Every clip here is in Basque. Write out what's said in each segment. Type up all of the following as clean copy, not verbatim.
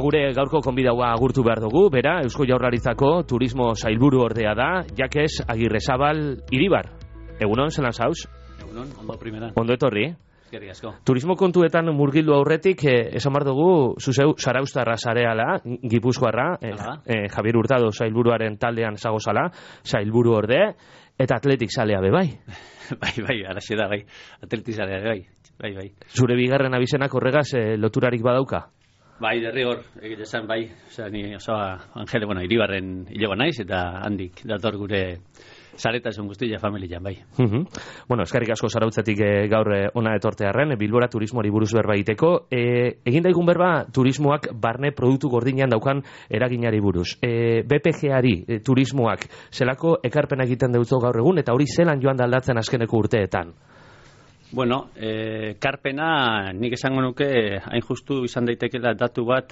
gure gaurko konbidaua agurtu behar dugu, bera, Eusko Jaurlaritzako turismo sailburu ordea da, Jakes Agirrezabal Iribar. Egunon, zelan zauz? Egunon, ondo primera. Ondo etorri. Eskerrik asko. Turismo kontuetan murgildu aurretik, esan behar dugu, zuzeu Zarauztarra zareala, Gipuzkoarra, Javier Hurtado sailburuaren taldean zagozala, sailburu orde, eta atletik zalea be bai. Bai, araxe da, bai. Atletik zalea be bai. Zure bigarren abizenak horregaz loturarik badauka? Bai, derrigor, egin esan, bai. Osea, ni Angele, Iribarren hilego naiz, eta handik dator gure zaretasun guztia familian, bai. Eskerrik asko Zarautzetik gaur ona etortearren, Bilbora turismoari buruz berba egiteko. Egin daigun berba turismoak barne produktu gordinean daukan eraginari buruz. BPG-ari turismoak zelako ekarpena egiten deutzo gaur egun, eta hori zelan joan da aldatzen azkeneko urteetan? Karpena nik esango nuke hain justu izan daitekela datu bat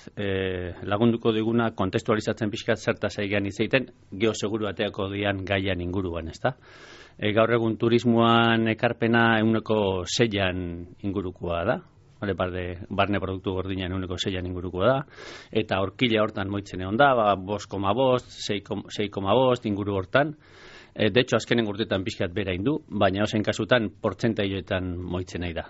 lagunduko diguna kontestualizatzen pixkat zertaz egian izaiten geoseguru bateako dian gaian inguruan, ezta? Gaur egun turismoan ekarpena 6an ingurukoa da, barne produktu gordinean 6an ingurukoa da, eta horkila hortan moitzen egon da, 5,5, 6,5 inguru hortan. De hecho, azkenen urtetan pixkat bera indu, baina ozen kasutan portzentaioetan moitzen nahi da.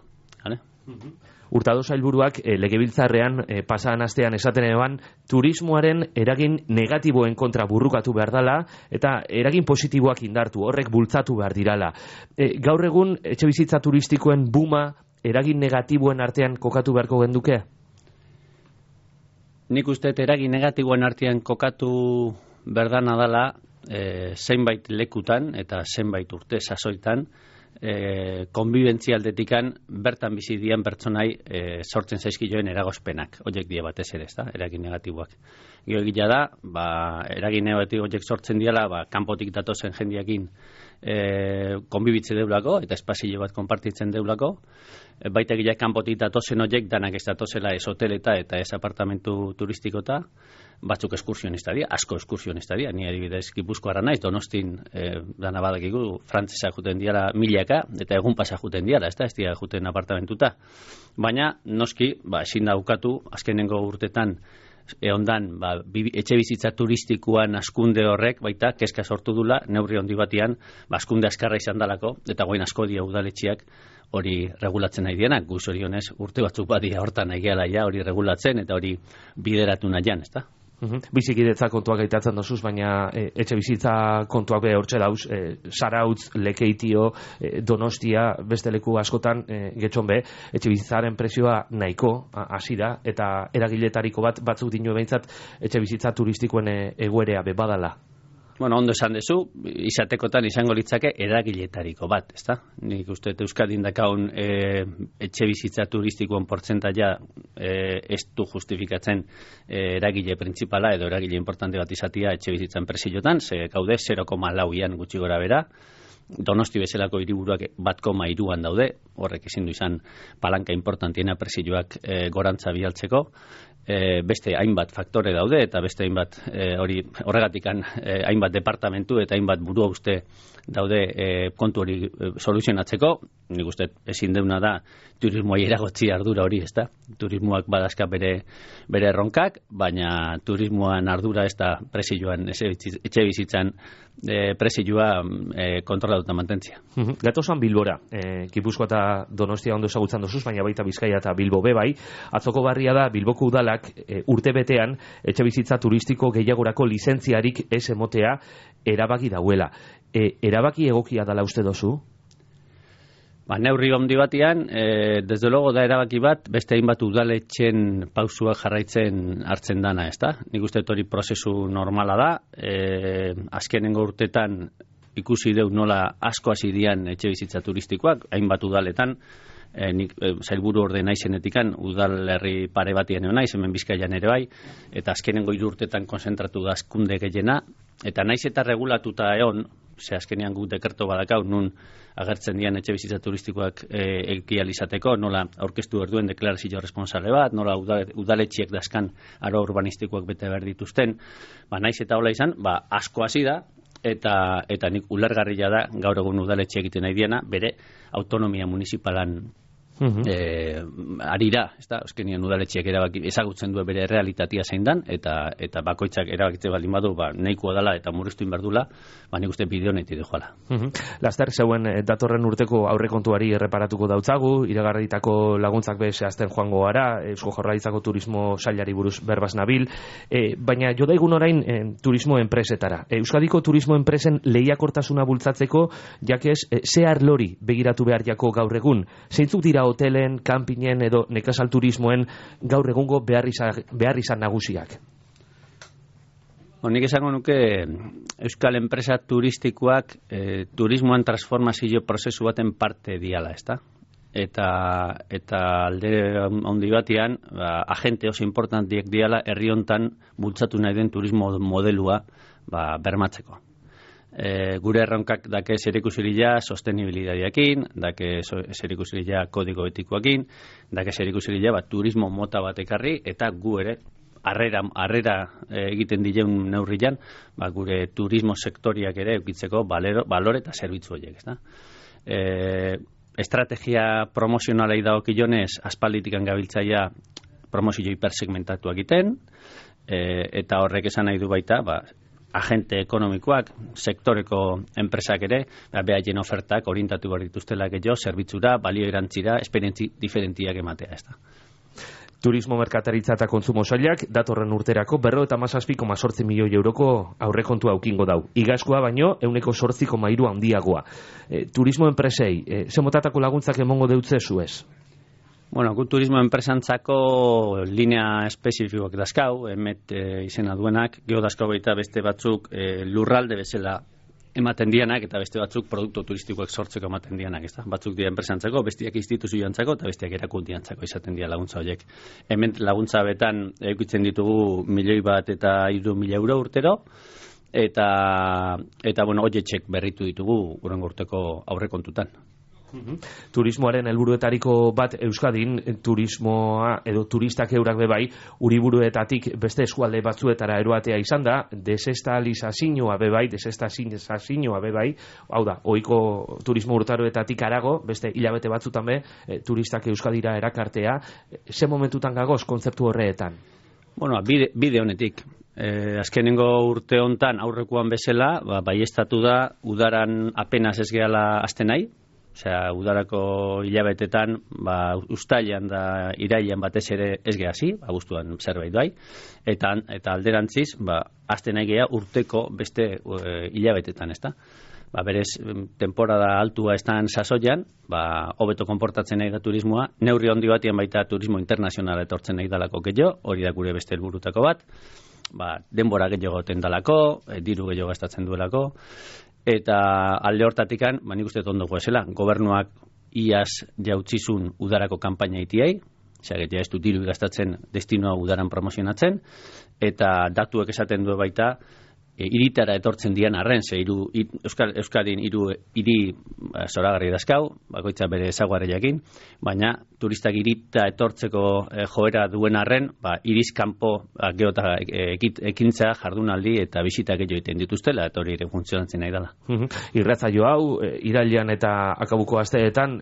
Hurtado sailburuak legebiltzarrean pasadan astean esaten eban turismoaren eragin negatiboen kontra burrukatu behar dela eta eragin positiboak indartu, horrek bultzatu behar dirala. Gaur egun etxebizitza turistikoen buma eragin negatiboen artean kokatu beharko genduke? Nik uste eragin negatiboen artean kokatu berdana dela zenbait lekutan eta zenbait urte sasoitan konbibentzia aldetikan bertan bizi dian pertsonai sortzen zaizkioen eragozpenak, horiek die batez ere, ezta, eragin negatiboak. Gero egia da, eragin negatibo horiek sortzen diala, kanpotik datozen jendiakin konbibitze deulako eta espazio bat konpartitzen deulako, baita egia kanpotik datozen horiek danak ez datozela ez hoteleta eta ez apartamentu turistikota, batzuk eskursionista dira, asko eskursionista dira, ni adibidez Gipuzkoarra naiz, Donostin dana badakigu, frantzesa juten diala milaka, eta egun pasa juten diala, ez dira juten apartamentuta. Baina, noski, ezin da ukatu, azkenengo urtetan, ondan, etxe bizitza turistikoan askunde horrek, baita, kezka sortu dula, neurri handi batian, askunde askarra izan dalako, eta goin asko dia udaletxiak hori regulatzen nahi dienak, guz hori honez, urte batzuk badia hortan nahi ja, hori regulatzen, eta hori bideratu nahian, ez da? Bizikidetza kontuak gaitatzen dozuz, baina etxe bizitza kontuak be hortxe dauz, Zarautz, Lekeitio, Donostia, beste leku askotan, getxon be, etxe bizitzaren prezioa nahiko hasi da, eta eragiletariko batzuk dinu behintzat etxe bizitza turistikoen egoerea be badala. Ondo esan dezu, izatekotan izango litzake eragiletariko bat, ezta? Nik uste Euskadin dakaun etxe bizitza turistikoen portzentaia ez du justifikatzen eragile printzipala edo eragile importante bat izatia etxe bizitzan presiotan, ze gaude 0,4an gutxi gora bera, Donosti bezalako hiriburuak 1,3an daude, horrek ezin du izan palanka importantiena presioak gorantza bialtzeko, beste hainbat faktore daude eta beste hainbat horregatikan hainbat departamentu eta hainbat burua uste daude kontu hori soluzionatzeko. Nik uste ezin deuna da turismoai eragotzi ardura hori, ezta? Turismoak badazka bere erronkak, baina turismoan ardura ez da presioan etxe bizitzan presioa kontrolatuta mantentzia. Gatozan Bilbora, Gipuzkoa eta Donostia ondo ezagutzen dozuz, baina baita Bizkaia eta Bilbo bebai. Atzoko barria da Bilboko udalak urte betean etxe bizitza turistiko gehiagorako lizentziarik ez emotea erabaki dauela. Erabaki egokia dala uste dozu? Neurri handi batian, desde logo da erabaki bat, beste hainbat udaletxen pausuak jarraitzen hartzen dana, ezta? Nik uste hori prozesu normala da, azkenengo urtetan ikusi deu nola asko hasi dian etxe bizitza turistikoak, hainbat udaletan, nik sailburu orde naizenetikan udalerri pare batian naiz, hemen Bizkaian ere bai, eta azkenengo 3 urtetan konzentratu da askunde gehiena, eta naiz eta regulatuta egon, ze azkenean guk dekerto badakau, nun agertzen dian etxe bizitza turistikoak egial izateko, nola aurkeztu berduen deklarazio responsable bat, nola udaletxiek daskan aro urbanistikoak bete behar dituzten, naiz eta hola izan, asko hasi da, eta nik ulergarria da gaur egun udaletxe egiten nahi diena, bere autonomia municipalan arira, euskenien udaletxeak erabaki ezagutzen du bere realitatea zein dan, eta bakoitzak erabakitze baldin badu, nahikoa dela eta murriztu inberdula, nik uste bideo neti joala. Laster, zeuen datorren urteko aurrekontuari erreparatuko dautzagu, iragarritako laguntzak zehazten joango gara, Eusko Jaurlaritzako turismo sailari buruz berbaz nabil, baina jo daigun orain turismo enpresetara. Euskadiko turismo enpresen lehiakortasuna bultzatzeko, jakez, ze arlori begiratu behar jako gaur egun, zeintzuk dira hotelen, kanpinen edo nekazal turismoen gaur egungo behar izan nagusiak? Nik esango nuke euskal enpresa turistikoak turismoan transformazio prozesu baten parte diala, ezta? Eta alde handi batean, agente oso importantiek diala herri hontan bultzatu nahi den turismo modelua bermatzeko. Gure erronkak dake zerikusiria sostenibilidadeakin, dake zerikusiria kodigo etikoakin, dake zerikusiria turismo mota bat ekarri, eta gu ere harrera egiten dileun neurrian, gure turismo sektoriak ere eukitzeko balore eta zerbitzu horiek, ezta? Estrategia promozionalei dagokionez aspalditikan gabiltzaia promozio hipersegmentatu egiten, eta horrek esan nahi du baita, agente ekonomikoak, sektoreko enpresak ere, behaien ofertak orientatu behar dituztela gehiago, zerbitzura, balio erantzira, esperientzi diferentiak ematea, ez da. Turismo, merkataritza eta kontsumo sailak datorren urterako 57,8 milioi euroko aurrekontua aukingo dau. Igazkoa baino 8,3 handiagoa. Turismo enpresei, ze motatako laguntzak emongo deutzezu ez? Gu turismo enpresantzako linea espezifikoak dazkau, emet izena duenak, geho dazkau baita beste batzuk lurralde bezala ematen dianak, eta beste batzuk produktu turistikoak sortzeko ematen dianak, ezta? Batzuk dira enpresantzako, bestiak instituzioantzako, eta bestiak erakundiantzako izaten dira laguntza horiek. Hemen laguntza betan eukitzen ditugu 1.000.000 eta 3.000 euro urtero, eta horietxek berritu ditugu hurrengo urteko aurrekontutan. Turismoaren helburuetariko bat Euskadin, turismoa edo turistak eurak bebai, uriburuetatik beste eskualde batzuetara eroatea izan da, desestalizazioa bebai, hau da, ohiko turismo urtaroetatik arago, beste hilabete batzutan be, turistak Euskadira erakartea, ze momentutan gagoz kontzeptu horreetan? Bide honetik. Azkenengo urte hontan aurrekoan bezala, baiestatu da, udaran apenas ez gehala azten nahi, udarako hilabetetan, uztailan da irailean batez ere ez gehazi, abuztuan zerbait bai, eta alderantziz, azten nahi geha urteko beste hilabetetan, ezta? Berez, temporada altua estan sasoian, hobeto konportatzen nahi da turismoa, neurri handi batian baita turismo internazionala etortzen nahi dalako gehiago, hori da gure beste helburutako bat, denbora gehiago tendalako, diru gehiago gastatzen duelako, eta alde hortatikan, nik uste ondo goezela, gobernuak iaz jautzizun udarako kanpaina itiai, ja ez du diru gastatzen destinoa udaran promozionatzen, eta datuek esaten du baita, iritara etortzen dian arren, Euskadin hiri zoragarri dazkau, bakoitza bere ezaguarriakin, baina turistak irita etortzeko joera duen arren, irizkanpo geota ekintza, jardunaldi eta bisita gehiago egiten dituztela, eta hori ere funtzionatzen nahi dela. Irratzaio hau, irailean eta akabuko asteetan,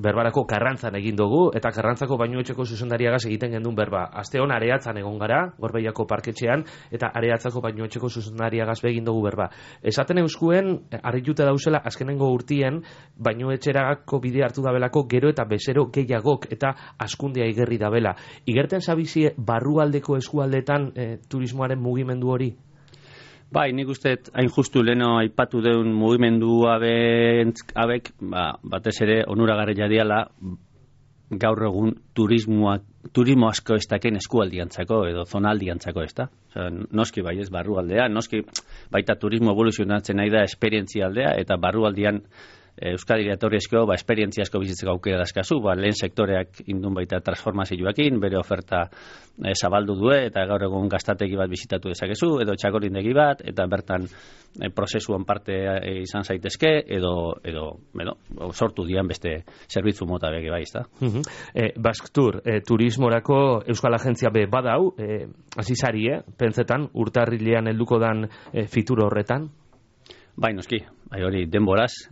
berbarako Karrantzan egin dugu, eta Karrantzako Bainuetxeko zuzendariagaz egiten gendun berba. Aste hon Areatzan egon gara, Gorbeiako parketxean, eta Areatzako Bainuetxeko zuzendariagaz egin dugu berba. Esaten euskuen, harritute dauzela, azkenengo urtien, Bainuetxerako bide hartu dabelako gero eta bezero gehiagok eta askundea igerri dabela. Igerten zabizie barrualdeko eskualdetan turismoaren mugimendu hori? Nik uste hain justu leno aipatu deun mugimendu abek, batez ere onuragarria diala gaur egun turismo asko ez daken eskualdiantzako edo zonaldiantzako, ez da? Noski bai ez barrualdea, noski baita turismo evoluzionatzen nahi da esperientzia aldea, eta barrualdian Euskadira etorrizko, esperientzia asko bizitzeko aukera dazkazu, lehen sektoreak indun baita transformazioakin, bere oferta zabaldu due, eta gaur egun gaztategi bat bizitatu dezakezu, edo txakorindegi bat, eta bertan prozesuan parte izan zaitezke, edo sortu dian beste zerbitzu mota bege bai, ezta? Basktur, turismorako Euskal Agentzia be badau, azizari, pentsetan, urtarrilean helduko dan fitur horretan? Bai, noski, hori denboraz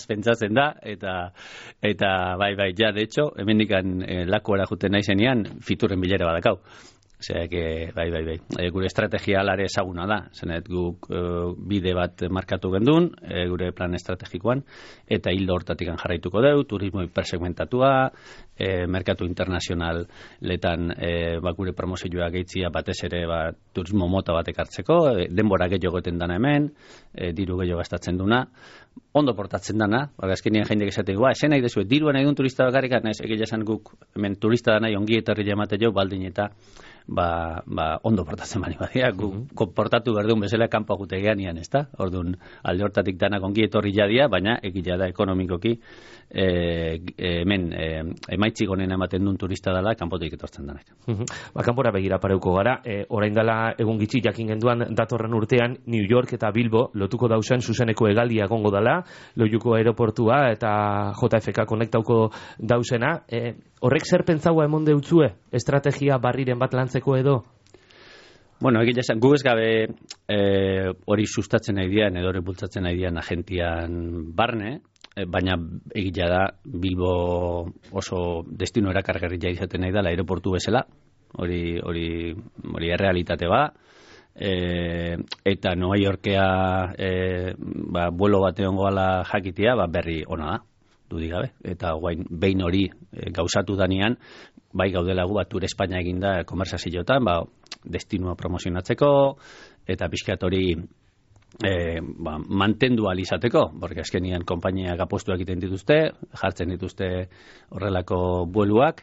pentsatzen da, eta bai, ja, de hecho, hemendikan lakuara juten naizenean, fiturren bilera badakau. Osea, bai. Gure estrategia alare ezaguna da. Zenet guk bide bat markatu gendun, gure plan estrategikoan, eta hildo hortatik jarraituko deu, turismo hipersegmentatua, merkatu internazionaletan gure promozioa gehitzia batez ere turismo mota batek hartzeko, denbora gehiago goten dana hemen, diru gehiago gastatzen duna, ondo portatzen dana, azkenean jendek esaten esen nahi dezu, dirua nahi duen turista bakarrik, egia esan guk hemen turista da nahi ongi etorri jamate jo, baldin eta ondo portatzen bani badia, guk portatu berdun bezala kanpo agutegean ian, ezta? Orduan, alde hortatik danak ongi etorri jadia, baina egia da ekonomikoki hemen emaitzik honen ematen duen turista dela kanpotik etortzen danak. Kanpora begira pareuko gara, orain dela egun gitxi jakin genduan datorren urtean New York eta Bilbo lotuko dauzen zuzeneko hegaldia egongo dela, Loiuko aeroportua eta JFK konektauko dauzena, horrek zer pentsaua emon deutzue estrategia barriren bat lantzeko edo? Bueno, egia esan, gu ez gabe hori sustatzen nahi dian, edo hori bultzatzen nahi dian agentian barne, baina egia da Bilbo oso destino erakargarria izaten nahi dela aeroportu bezala, hori errealitate ba, eta Nueva Yorkea vuelo bat egongo ala jakitea, berri ona da, dudik gabe, eta behin hori gauzatu danean, bai gaudela gu Tour Espainia eginda konversazioetan, destinua promozionatzeko, eta pixkat hori mantendu alizateko, porque azkenian konpainiak apostuak egiten dituzte, jartzen dituzte horrelako bueluak,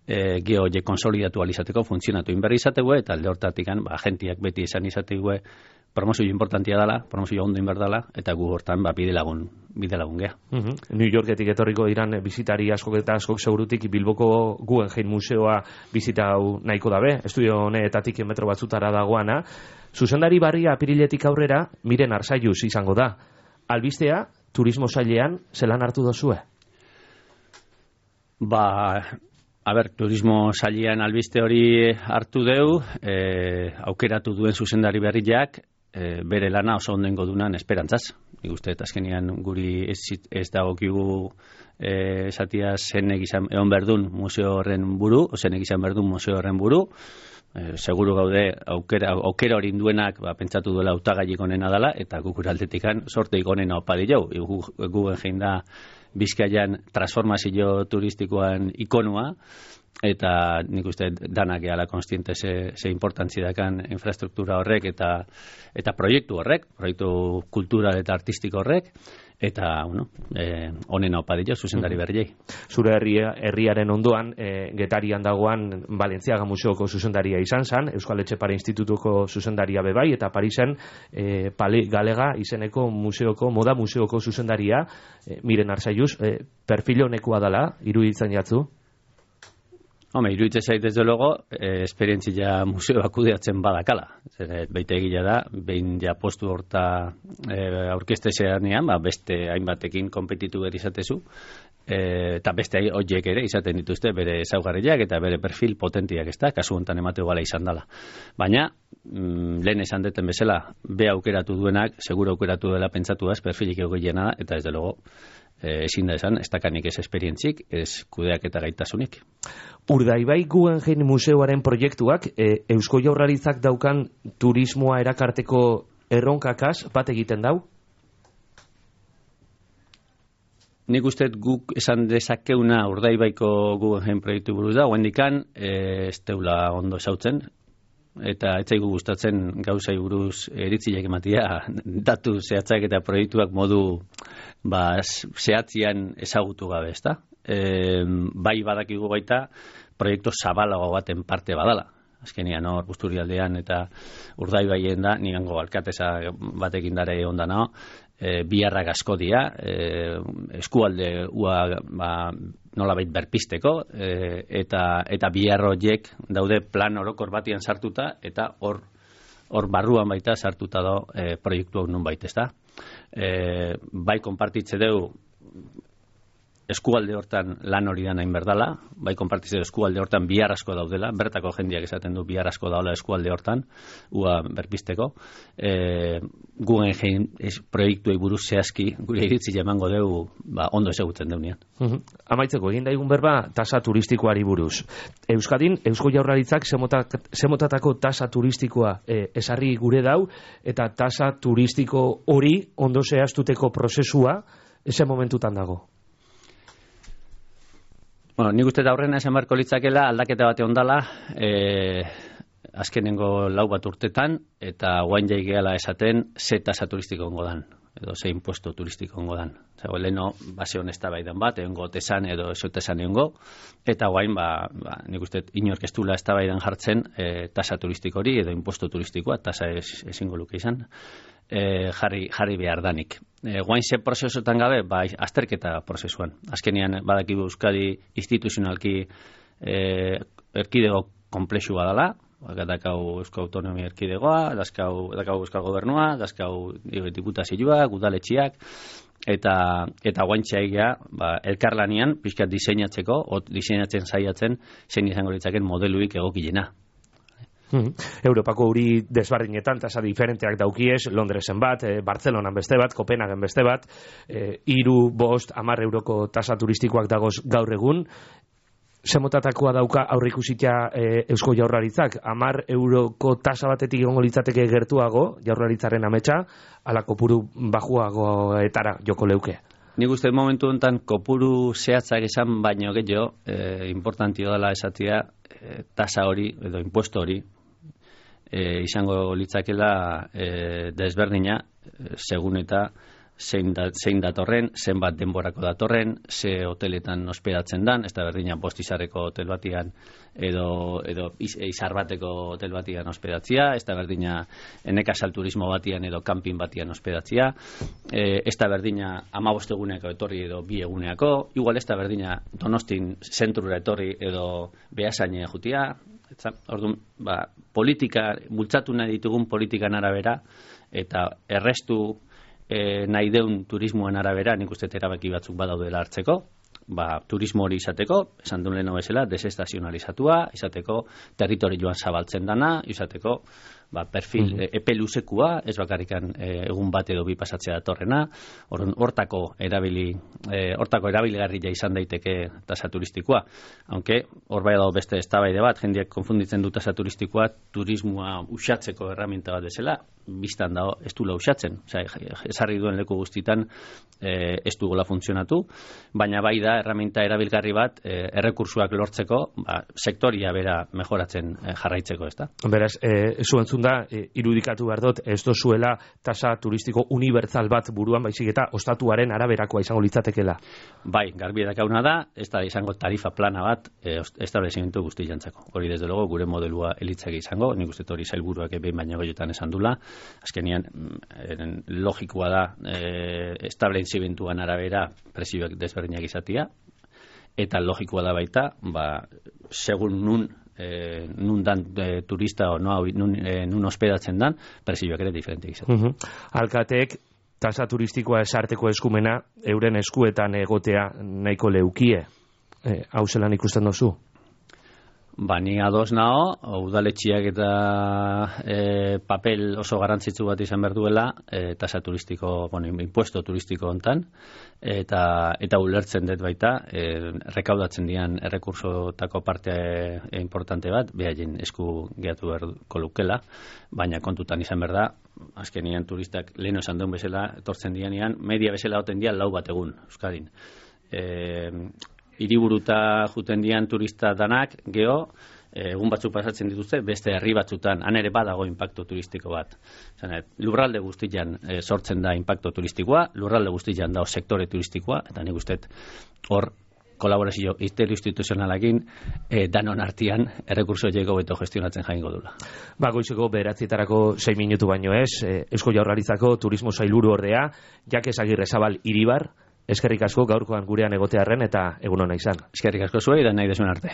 geho konsolidatu alizateko, funtzionatu inberri izategu, eta alde hortatik agentiak beti esan izategu promozio importantia dela, promozio ondo inberdala, eta gu hortan bide lagun geha. New Yorketik etorriko diran bizitari askok eta askok segurutik Bilboko Guggenheim museoa bizitau nahiko dabe, estudio honetatik metro batzutara dagoana. Zuzendari barria apiriletik aurrera Miren Arzalluz izango da. Albistea, turismo sailean zelan hartu dozue? Turismo sailean albiste hori hartu deu, aukeratu duen zuzendari berriak, bere lana oso ondengo dunan esperantzaz. Nik uste, azkenean guri ez dagokigu esatia zenek izan egon berdun museo horren buru, zenek izan berdun museo horren buru, seguru gaude aukera hori duenak pentsatu duela hautagaiik onena dela, eta guk uraldetikan sorteik onena opadi jau. Guggenheim da Bizkaian transformazio turistikoan ikonua, eta nik uste danak ehala konstiente ze importantzi dakan infrastruktura horrek eta proiektu horrek, proiektu kultural eta artistiko horrek, eta honen aupadio zuzendari berriei. Zure herriaren ondoan, Getarian dagoan Balentziaga Museoko zuzendaria izan zan, Euskal Etxepare Institutuko zuzendaria bebai, eta Parisen Palais Galega izeneko moda museoko zuzendaria, Miren Arzalluz, perfil honekoa dela, iruditzen jatzu? Iruditzen zait desde logo, esperientzia museo kudeatzen badakala. Baita egila da, behin ja postu horta aurkestezeanean, beste hainbatekin konpetitu behar izatezu, eta beste horiek ere izaten dituzte bere ezaugarriak eta bere perfil potentiak, ez da, kasu honetan emateu gala izan dela. Baina, lehen esan deten bezala, be aukeratu duenak, seguro aukeratu dela pentsatu da, perfilik egoiena da, eta ez de logo, ezin da esan, ez dakanik ez esperientzik, ez kudeak eta gaitasunik. Urdaibai Guggenheim museoaren proiektuak Eusko Jaurlaritzak daukan turismoa erakarteko erronkakaz bat egiten dau? Nik uste guk esan dezakeuna Urdaibaiko Guggenheim proiektu buruz da, oendikan ez teula ondo esautzen, eta etzaigu gustatzen gauzai buruz eritziak ematia datu zehatzak eta proiektuak modu zehatzian ezagutu gabe, ezta? Bai badakigu baita proiektu zabalago baten parte badala. Azkenean hor Busturialdean eta Urdaibaien da, nigango alkateza batekin dare ondana, biharrak asko dira, eskualde nolabait berpisteko, eta bihar horiek daude plan orokor batian sartuta, eta hor barruan baita sartuta da proiektu hau nun baita, ezta? Bai konpartitze dugu eskualde hortan lan hori da nahin berdala, bai konpartitzeko eskualde hortan bihar asko daudela, bertako jendiak esaten du bihar asko daula eskualde hortan, ua berpisteko. Guggenheim proiektuei buruz zehazki, gure iritzi emango dugu, ondo ezagutzen deunean. Amaitzeko, egin daigun berba, tasa turistikoari buruz. Euskadin, Eusko Jaurlaritzak zemotatako tasa turistikoa esarri gure dau, eta tasa turistiko hori ondo zehaztuteko prozesua, eze momentutan dago. Bueno, nik uste da horrena esan barko litzakela aldaketa bate ondala, azkenengo 4 bat urtetan, eta guain jaigeala esaten ze tasa turistiko ongo dan, edo ze impuesto turistiko ongo dan. Zago, leheno, base honesta baidan bat, egongo tesan edo esotesan egongo, eta guain, nik uste inork ez dula eztabaidan jartzen tasa turistiko hori, edo impuesto turistikoa, tasa ezingo luke izan, jarri behar danik. Guain ze prozesuetan gabe, azterketa prozesuan. Azkenian badakigu Euskadi instituzionalki erkidego komplexua dela, dakau Eusko Autonomia Erkidegoa, dakau Euskal Gobernua, dakau diputazioak, udaletxiak, eta guantxa egia, elkarlanian, pixkat diseinatzen saiatzen, zein izango litzaken modeluik egokilena. Europako hori desbardinetan tasa diferenteak daukiez, Londresen bat, Bartzelonan beste bat, Kopenhagen beste bat, 3, 5, 10 euroko tasa turistikoak dagoz gaur egun. Zemotatakoa dauka aurreikusitia Eusko Jaurlaritzak, 10 euroko tasa batetik egongo litzateke gertuago, Jaurlaritzaren ametsa, ala kopuru bajuagoetara joko leuke. Nik uste momentu honetan kopuru zehatzak esan baino gehiago, importantio dela esatia tasa hori edo impuesto hori, izango litzakela desberdina, segun eta zein datorren, zenbat denborako datorren, ze hoteletan hospedatzen dan, ez da berdina bostizarreko hotel batian edo izar bateko hotel batian hospedatzia, ez da berdina nekazal turismo batian edo camping batian hospedatzia, ez da berdina 15 eguneako etorri edo 2 eguneako, igual ez da berdina Donostin zentrura etorri edo Beasaine jutia, orduan, politika, bultzatu nahi ditugun politikan arabera, eta errestu nahi deun turismoen arabera, nik uste erabaki batzuk badaudela hartzeko, turismo hori izateko, esan duen leheno bezala, desestazionalizatua, izateko territorioan zabaltzen dana, izateko perfil epe luzekua, ez bakarrikan egun bat edo 2 pasatzea datorrena, hortako erabilgarria izan daiteke tasa turistikoa. Aunque hor bai dago beste eztabaide bat, jendeak konfunditzen du tasa turistikoa turismoa usatzeko erraminta bat desela, biztan dago ez duela usatzen. Ezarri duen leku guztitan ez dugola funtzionatu, baina bai da erraminta erabilgarri bat errekursuak lortzeko, sektoria bera mejoratzen jarraitzeko, ez da? Beraz, zuentzun da, irudikatu behar dut, ez dozuela tasa turistiko unibertsal bat buruan, baizik eta ostatuaren araberakoa izango litzatekela. Bai, garbi edakauna da, ez da izango tarifa plana bat establezimentu guzti jantzako. Hori desde logo gure modelua elitzake izango, nik uste hori sailburuak behin baino goiotan esan dula, azkenian logikoa da establezimentuan arabera presioak desberdinak izatia, eta logikoa da baita, segun nun dan turista o nun hospedatzen dan, presioak ere diferenteak izatea. Alkateek tasa turistikoa esarteko eskumena euren eskuetan egotea nahiko leukie. Hau zelan ikusten dozu? Ni ados nao, udaletxiak eta papel oso garrantzitsu bat izan behar duela, tasa turistiko, impuesto turistiko hontan, eta ulertzen dut baita, rekaudatzen dian errekursotako parte importante bat, behaien esku gehatu beharko lukela, baina kontutan izan behar da, azkenian turistak leheno esan duen bezala, etortzen dianean, media bezala oten dian 4 bat egun, Euskadin. Hiriburuta juten dian turista danak, geho, egun batzuk pasatzen dituzte, beste herri batzutan, han ere badago impacto turistiko bat. Lurralde guztian sortzen da impacto turistikoa, lurralde guztian da sektore turistikoa, eta nik uste hor kolaborazio interinstituzionalakin danon artian errekurso jego beto gestionatzen jaingo dula. Goizeko 9:00 6 minutu baino ez, Eusko Jaurlaritzako turismo sailburu ordea, Jakes Agirrezabal Iribar, eskerrik asko gaurkoan gurean egotearren eta egun ona izan. Eskerrik asko zuei da nahi desuen arte.